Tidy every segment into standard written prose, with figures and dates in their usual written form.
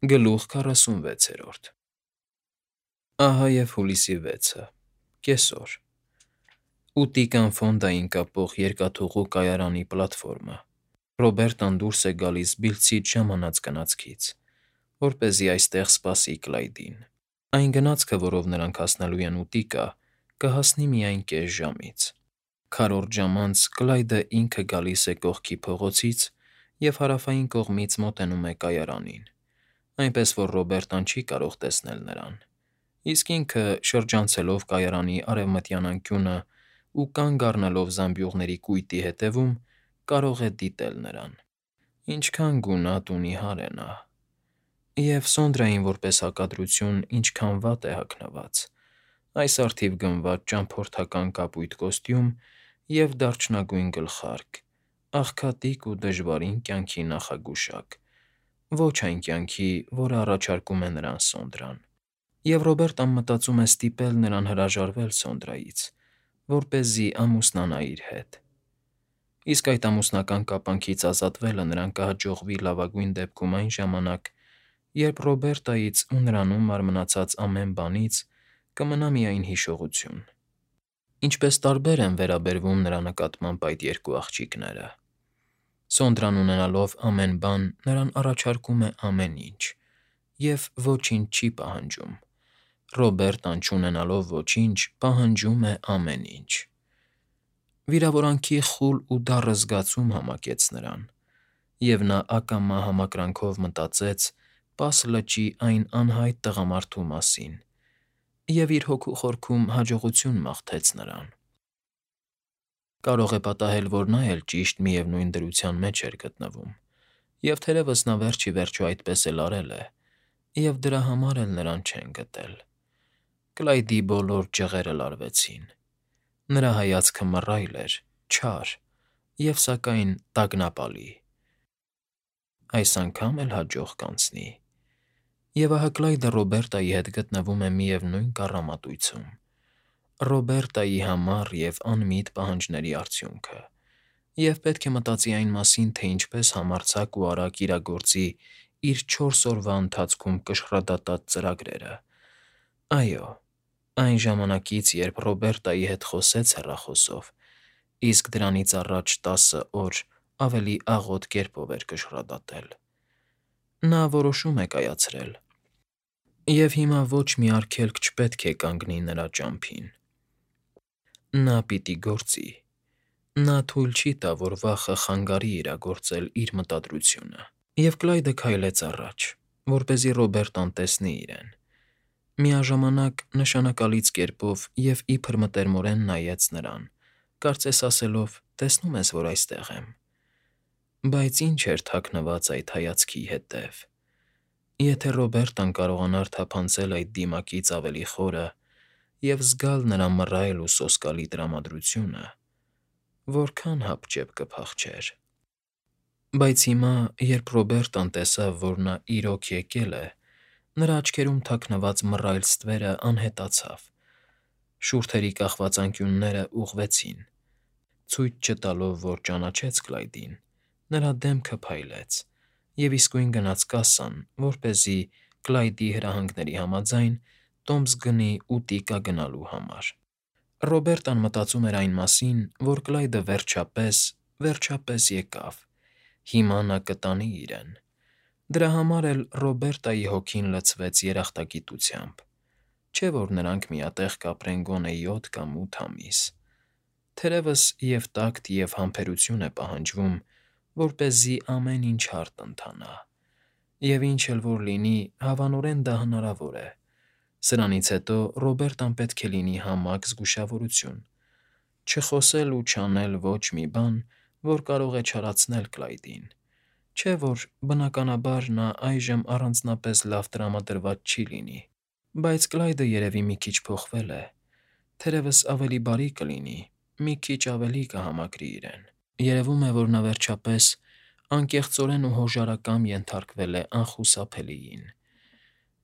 Գլուխ 46 Ահա և հուլիսի 6-ը, կեսօր, ուտիկան Ֆոնդային կապող երկաթուղու կայարանի պլատֆորմը։ Ռոբերտան դուրս է գալիս բիլցից ժամանած գնացքից, որպեսզի այստեղ սպասի Կլայդին։ Այն գնացքը, որով նրանք հասնելու են ուտիկա, կհասնի միայն կես ժամից։ Քառորդ ժամ անց Կլայդը ինքը գալիս է կողքի փողոցից և հարավային կողմից մոտենում է կայարանին, այնպես որ Ռոբերտան չի կարող տեսնել նրան, իսկ ինքը, շրջանցելով կայարանի արևմտյան անկյունն ու կանգ առնելով զամբյուղների կույտի ետևում, կարող է դիտել նրան։ Ինչքան գունատ ու նիհար է նա… Եվ Սոնդրային որպես հակադրություն ինչքան վատ է հագնված՝ այս առթիվ գնված ճամփորդական կապույտ կոստյում և դարչնագույն գլխարկ, աղքատիկ ու դժվարին կյանքի նախագուշակ, ոչ այն կյանքի, որը առաջարկում է նրան Սոնդրան։ Եվ Ռոբերտան մտածում է ստիպել նրան հրաժարվել Սոնդրայից, որպեսզի ամուսնանա իր հետ։ Իսկ այդ ամուսնական կապանքից ազատվելը նրան կհաջողվի լավագույն դեպքում այն ժամանակ, երբ Ռոբերտայից ու նրանում մարմնացած ամեն բանից կմնա միայն հիշողություն։ Ինչպես տարբեր են վերաբերվում նրա նկատմամբ այդ երկու աղջիկները։ Սոնդրան ունենալով ամեն բան նրան առաջարկում է ամեն ինչ և ոչինչ չի պահանջում, Ռոբերտան չունենալով ոչինչ պահանջում է ամեն ինչ։ Վիրավորանքի խուլ ու դառը զգացում համակեց նրան, և նա ակամա համակրանքով մտածեց պաս լճի այն անհայտ տղամարդու մասին և իր հոգու խորքում հաջողություն մաղթեց նրան։ Կարող է պատահել, որ նա էլ ճիշտ միևնույն դրության մեջ էր գտնվում, և թերևս նա վերջ ի վերջո այդպես էլ արել է, և դրա համար էլ նրան չեն գտել։ Կլայդի բոլոր ջղերը լարվեցին։ Նրա հայացքը մռայլ էր, չար և, սակայն, տագնապալի։ Այս անգամ էլ հաջող կանցնի։ Եվ ահա Կլայդը Ռոբերտայի հետ գտնվում է միևնույն կառամատույցում՝ Ռոբերտայի համառ և անմիտ պահանջների արդյունքը, և պետք է մտածի այն մասին, թե ինչպես համարձակ ու արագ իրագործի իր 4 օրվա ընթացքում կշռադատած ծրագրերը։ Այո, այն ժամանակից, երբ Ռոբերտայի հետ խոսեց հեռախոսով, իսկ դրանից առաջ 10 օր ավելի աղոտ կերպով էր կշռադատել։ Նա որոշում է կայացրել, և հիմա ոչ մի արգելք չպետք է կանգնի նրա ճամփին։ Նա պիտի գործի։ Նա թույլ չի տա, որ վախը խանգարի իրագործել իր մտադրությունը։ Եվ Կլայդը քայլեց առաջ, որպեսզի Ռոբերտան տեսնի իրեն։ Միաժամանակ նշանակալից կերպով և իբր մտերմորեն նայեց նրան, կարծես ասելով. «Տեսնում ես, որ այստեղ եմ»։ Բայց ի՞նչ էր թաքնված այդ հայացքի հետև։ Եթե Ռոբերտան կարողանար թափանցել այդ դիմակից ավելի խորը և զգալ նրա մռայլ ու սոսկալի տրամադրությունը, որքա՜ն հապճեպ կփախչեր։ Բայց հիմա, երբ Ռոբերտան տեսավ, որ նա իրոք եկել է, նրա աչքերում թաքնված մռայլ ստվերը անհետացավ, շուրթերի կախված անկյունները ուղղվեցին։ Ցույց չտալով, որ ճանաչեց Կլայդին, նրա դեմքը փայլեց, և իսկույն գնաց կասսան, որպեսզի, Կլայդի հրահանգների համաձայն, տոմս գնի ուտիկա գնալու համար։ Ռոբերտան մտածում էր այն մասին, որ Կլայդը վերջապես եկավ, հիմա նա կտանի իրեն։ Դրա համար էլ Ռոբերտայի հոգին լցվեց երախտագիտությամբ։ Չէ՞ որ նրանք միատեղ կապրեն գոնե 7 կամ 8 ամիս։ Թերևս և՛ տակտ, և՛ համբերություն է պահանջվում, որպեսզի ամեն ինչ հարթ ընթանա։ Եվ ինչ էլ որ լինի, հավանորեն դա հնարավոր է։ Սրանից հետո Ռոբերտան պետք է լինի համակ զգուշավորություն, չխոսել ու չանել ոչ մի բան, որ կարող է չարացնել Կլայդին։ Չէ՞ որ, բնականաբար, նա այժմ առանձնապես լավ տրամադրված չի լինի։ Բայց Կլայդը երևի մի քիչ փոխվել է։ Թերևս ավելի բարի կլինի, մի քիչ ավելի կհամակրի իրեն։ Երևում է, որ նա վերջապես անկեղծորեն ու հոժարակամ ենթարկվել է անխուսափելիին։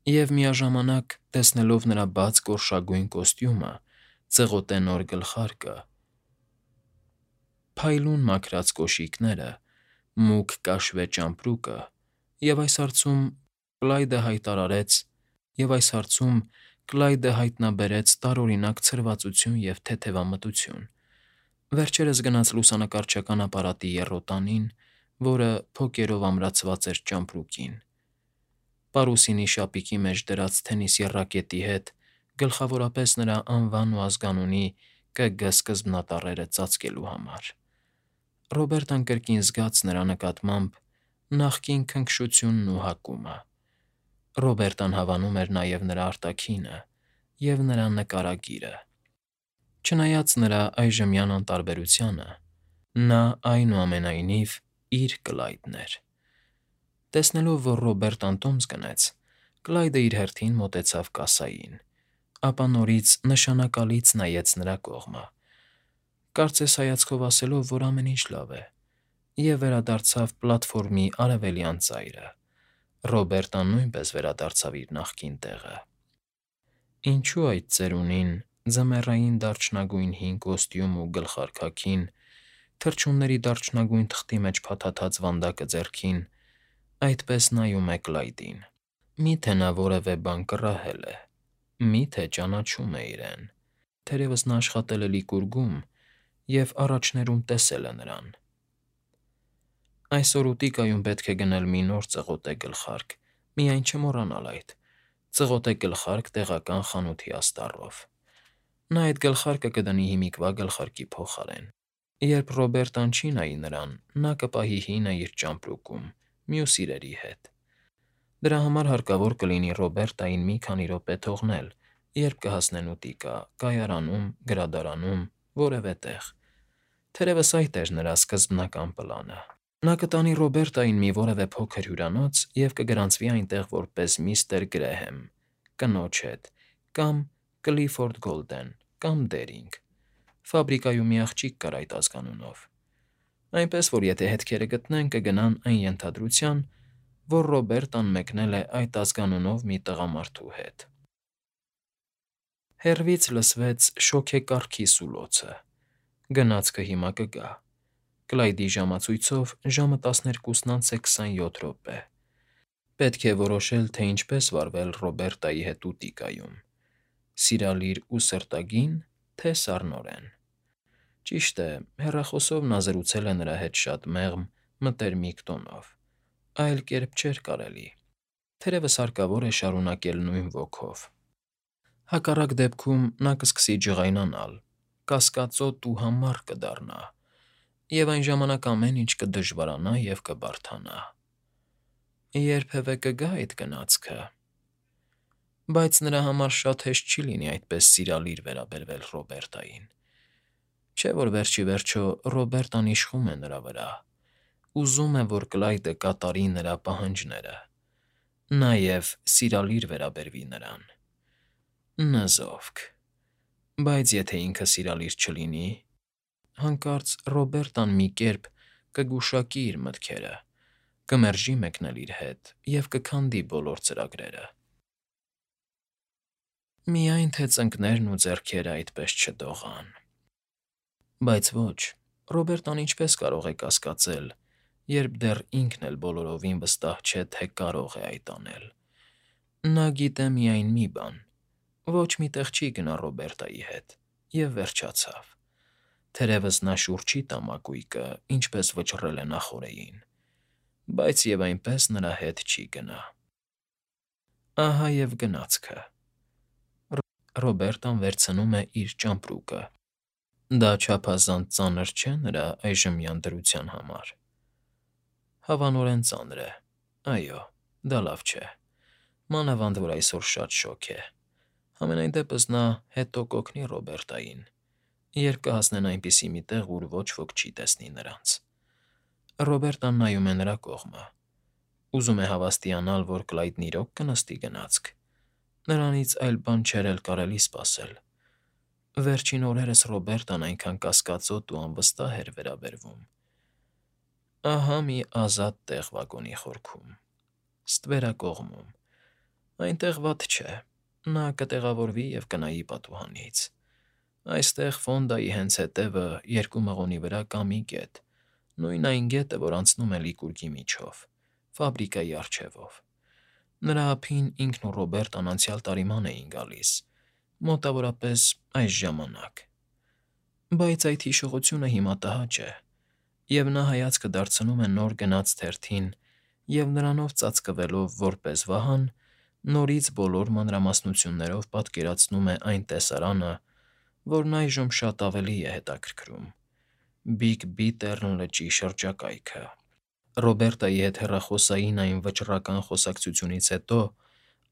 Եվ միաժամանակ, տեսնելով նրա բաց գորշագույն կոստյումը, ծղոտե նոր գլխարկը, փայլուն մաքրած կոշիկները, մուգ կաշվե ճամպրուկը և այս հարցում Կլայդը հայտարարեց, և այս հարցում Կլայդը հայտնաբերեց տարօրինակ ցրվածություն և թեթևամտություն։ Վերջերս գնաց լուսանկարչական ապարատի եռոտանին, որը փոկերով ամրացված էր ճամպրուկին։ Պարուսինի շապիկի մեջ դրած թենիսի ռակետի հետ գլխավորապես նրա անվան ու ազգանունի ԿԳ սկզբնատառերը ծածկելու համար։ Ռոբերտան կրկին զգաց նրա նկատմամբ նախկին քնքշությունն ու հակումը։ Ռոբերտան հավանում էր նաև նրա արտաքինը և նրա նկարագիրը։ Չնայած նրա այժմյան անտարբերությանը, նա այնուամենայնիվ իր Կլայդն էր։ Տեսնելով, որ Ռոբերտան տոմս գնեց, Կլայդը իր հերթին մոտեցավ կասային, ապա նորից նշանակալից նայեց նրա կողմը, կարծես հայացքով ասելով, որ ամեն ինչ լավ է, և վերադարձավ պլատֆորմի արևելյան ծայրը։ Ռոբերտան նույնպես վերադարձավ իր նախկին տեղը։ Ինչու այդ ծերունին, ձմեռային դարչնագույն հին կոստյում ու գլխարկաքին, թռչունների դարչնագույն թղթի մեջ փաթաթած վանդակը ձեռքին, այդպես նայում է Կլայդին։ Մի՞թե նա որևէ բան կռահել է, մի՞թե ճանաչում է իրեն։ Թերևս նա աշխատել է Լիկուրգում և առաջներում տեսել է նրան։ Այսօր ուտիկայում պետք է գնել մի նոր ծղոտե գլխարկ, միայն չմոռանալ այդ։ Ծղոտե գլխարկ տեղական խանութի աստառով։ Նա այդ գլխարկը կդնի հիմիկվա գլխարկի փոխարեն։ Երբ Ռոբերտան չի նայի նրան, նա կպահի հինը իր ճամպրուկում, մյուս իրերի հետ։ Դրա համար հարկավոր կլինի Ռոբերտային մի քանի րոպե թողնել, երբ կհասնեն ուտիկա, կայարանում, գրադարանում, որևէ տեղ։ Թերևս այդ էր նրա սկզբնական պլանը։ Նա կտանի Ռոբերտային մի որևէ փոքր հյուրանոց և կգրանցվի այնտեղ որպես միստր Գրեհեմ, կնոջ հետ, կամ Կլիֆորդ Գոլդեն, կամ Դերինգ։ Ֆաբրիկայում մի աղջիկ կար այդ ազգանունով։ Այնպես որ եթե հետքերը գտնեն, կգնան այն ենթադրության, որ Ռոբերտան մեկնել է այդ ազգանունով մի տղամարդու հետ։ Հեռվից լսվեց շոգեկառքի սուլոցը։ Գնացքը հիմա կգա։ Կլայդի ժամացույցով ժամը 12:27 է։ Պետք է որոշել, թե ինչպես վարվել Ռոբերտայի հետ ուտիկայում՝ սիրալիր ու սրտագի՞ն, թե սառնորեն։ Ճիշտ է, հեռախոսով նա զրուցել է նրա հետ շատ մեղմ, մտերմիկ տոնով, այլ կերպ չէր կարելի։ Թերևս հարկավոր է շարունակել նույն ոգով։ Հակառակ դեպքում նա կսկսի ջղայնանալ, կասկածոտ ու համառ կդառնա, և այն ժամանակ ամեն ինչ կդժվարանա և կբարդանա։ Երբևէ կգա այդ գնացքը։ Բայց նրա համար շատ հեշտ չի լինի այդպես սիրալիր վերաբերվել Ռոբերտային։ Չէ՞ որ վերջ ի վերջո Ռոբերտան իշխում է նրա վրա, ուզում է, որ Կլայդը կատարի նրա պահանջները, նաև սիրալիր վերաբերվի նրան։ Նզովք։ Բայց եթե ինքը սիրալիր չլինի, հանկարծ Ռոբերտան մի կերպ կգուշակի իր մտքերը, կմերժի մեկնել իր հետ և կքանդի բոլոր ծրագրերը։ Միայն թե ծնկներն ու ձեռքերը այդպես չդողան։ Բայց ոչ, Ռոբերտան ինչպես կարող է կասկածել, երբ դեռ ինքն էլ բոլորովին վստահ չէ, թե կարող է այդ անել։ Նա գիտե միայն մի բան. ոչ մի տեղ չի գնա Ռոբերտայի հետ, և վերջացավ։ Թերևս նա շուռ չի տա մակույկը, ինչպես վճռել է նախօրեին, բայց և այնպես նրա հետ չի գնա։ Ահա և գնացքը։ Ռոբերտան վերցնում է իր ճամպրուկը։ Դա չափազանց ծանր չէ՞ նրա այժմյան դրության համար։ Հավանորեն ծանր է։ Այո, դա լավ չէ։ Մանավանդ որ այսօր շատ շոգ է։ Համենայն դեպս նա հետո կօգնի Ռոբերտային, երբ կհասնեն այնպիսի մի տեղ, ուր ոչ ոք չի տեսնի նրանց։ Ռոբերտան նայում է նրա կողմը։ Ուզում է հավաստիանալ, որ Կլայդն իրոք կնստի գնացք։ Նրանից այլ բան չէր էլ կարելի սպասել։ Վերջին օրերս Ռոբերտան այնքան կասկածոտ ու անվստահ էր վերաբերվում։ Ահա մի ազատ տեղ վագոնի խորքում, ստվերակողմում։ Այնտեղ վատ չէ։ Նա կտեղավորվի և կնայի պատուհանից։ Այստեղ Ֆոնդայի հենց հետևը երկու մղոնի վրա կա մի գետ, նույն այն գետը, որ անցնում է Լիկուրգի միջով, ֆաբրիկայի առջևով։ Նրա ափին ինքն ու Ռոբերտն անցյալ տարիման էին գալիս, մոտավորապես այս ժամանակ։ Բայց այդ հիշողությունը հիմա տհաճ է, և նա հայացքը դարձնում է նոր գնած թերթին և նրանով ծածկվելով որպես վահան, նորից բոլոր մանրամասնություններով պատկերացնում է այն տեսարանը, որն այժմ շատ ավելի է հետաքրքրում՝ Բիգ Բիթեռն լճի շրջակայքը։ Ռոբերտայի հետ հեռախոսային այն վճռական խոսակցությունից հետո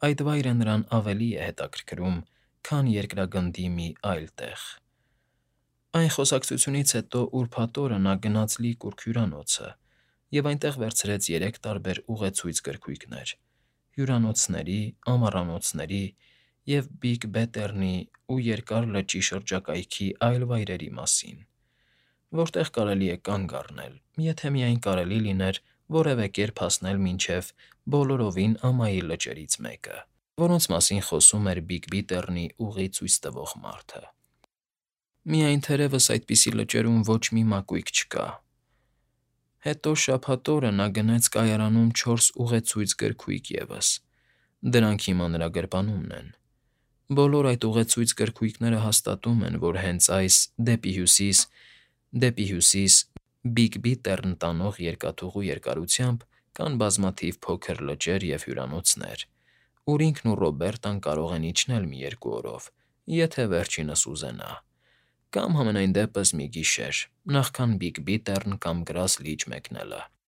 այդ վայրը նրան ավելի է հետաքրքրում, քան երկրագնդի մի այլ տեղ։ Այն խոսակցությունից հետո ուրբաթ օրը նա գնաց Լի Կուրք հյուրանոցը և այնտեղ վերցրեց 3 տարբեր ուղեցույց գրքույկներ՝ հյուրանոցների, ամառանոցների և Բիգ Բեթեռնի ու Երկար լճի շրջակայքի այլ վայրերի մասին, որտեղ կարելի է կանգ առնել, եթե միայն կարելի լիներ որևէ կերպ հասնել մինչև բոլորովին ամայի լճերից մեկը, որոնց մասին խոսում էր Բիգ Բիթեռնի ուղի ցույց տվող մարդը։ Միայն թերևս այդպիսի լճերում ոչ մի մակույկ չկա։ Հետո շաբաթ օրը նա գնեց կայարանում 4 ուղեցույց գրքույկ ևս. դրանք հիմա նրա գրպանումն են։ Բոլոր այդ ուղեցույց գրքույկները հաստատում են, որ հենց այս՝ դեպի հյուսիս Բիգ Բիթեռն տանող երկաթուղու երկարությամբ կան բազմաթիվ փոքր լճեր և հյուրանոցներ, ուր ինքն ու Ռոբերտն կարող են իջնել մի երկու օրով, եթե վերջինս ուզենա, կամ համենայն դեպս մի գիշեր, նախքան Բիգ Բիթեռն կամ Գրաս Լիճ մեկնելը։